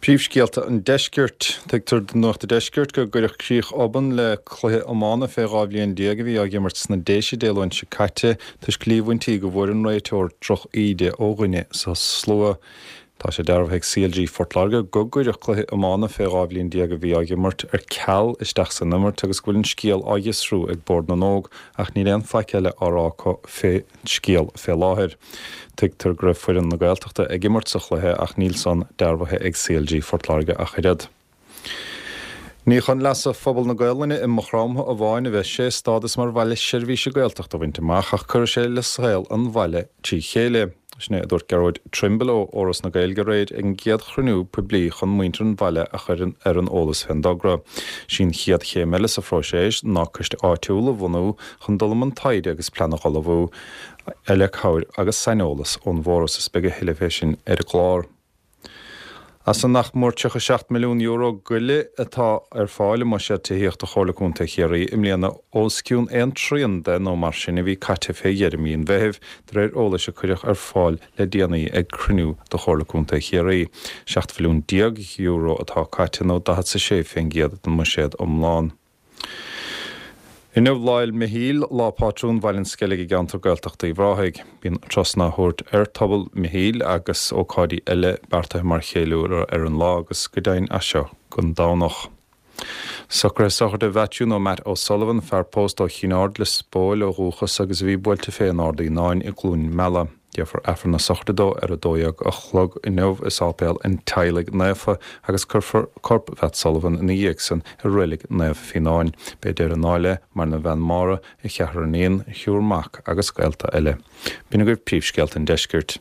Príomhscéalta an Deiscirt. Tuigtear do Nuacht an Deiscirt go gcuireadh críoch obann le cluiche iomána fé 12 bhliain a bhí á dh'imirt sna Déise Dé Luain seo caite toisc líomhaintí go bhfuair an réiteoir droch íde ó dhuine sa slua. Tá sé dearbhaithe ag CLG Phort Láirge go gcuireadh cluiche iomána fé 12 bhliain a bhí á dh'imirt ar ceal isteach san imirt agus go bhfuil an scéal á fhiosrú ag Bord na nÓg ach níl aon faic eile á rá acu fé scéal fé láthair. Tuigtear go raibh foireann na Gaeltachta ag imirt sa chluiche ach níl san dearbhaithe ag CLG Phort Láirge ach oiread. Ní chun leasa phobal na Gaolainne i Maigh Chromtha amháin a bheas sé stádas mar bhaile seirbhíse Gaeltachta a bhaint amach ach cuirfidh sé le saol an bhaile trí chéile. Sin é a dúirt Gearóid Trimble ó Fhoras na Gaeilge aréir ag an gcéad chruinniú poiblí chun muintir an bhaile a chur ar an eolas fén dtogra. Sí an chéad chéim eile sa phróiseas ná coiste áitiúil a bhunú chun dul i mbun taighde agus plean a dh'ullmhú le cabhair agus saineolas ón bhForas is beidh a thuilleadh fé sin ar an gclár. As an nach mór €37 milliún goile atá ar fáil i mbuiséad tithíochta Chomhairle Contae Chiarraí i mbliana, os cionn aon trian de nó mar sin a bhí caite fé dheireadh mí an Mheithimh, de réir eolais a cuireadh ar fáil le déanaí ag cruinniú de Chomhairle Contae Chiarraí. €17 mhilliún atá caite nó 46% den mbuiséad iomlán. Inniu Lá Fhéil Michíl, lá pátrún Bhaile an Sceilg i gceantar Gaeltachta Uíbh Ráthaigh. Bíonn turasanna á thabhairt ar Tobal Mhichíl agus ócáidí eile beartaithe mar cheiliúradh ar an lá agus go deimhin as seo gon Domhnach. Socruithe sochraide Mhaitiú nó Matt O'Sullivan, fear pósta ó Chinn Aird, Lios Póil ó dhúchas agus a bhí buailte fé in Ard Fhíonáin i gCluain Meala. Déarfar Aifreann na sochraide dó ar 12 a chlog inniu i Sáipéal an Teaghlaigh Naofa agus cuirfear corp Mhatt Sullivan ina dhiaidh san i Reilig Naomh Fíonáin. Beidh deireadh i ndáil le, maireann a bhean Máire, a cheathrar iníon, a thriúr mac agus gaolta eile. B'in agaibh príomhscéalta an deiscirt.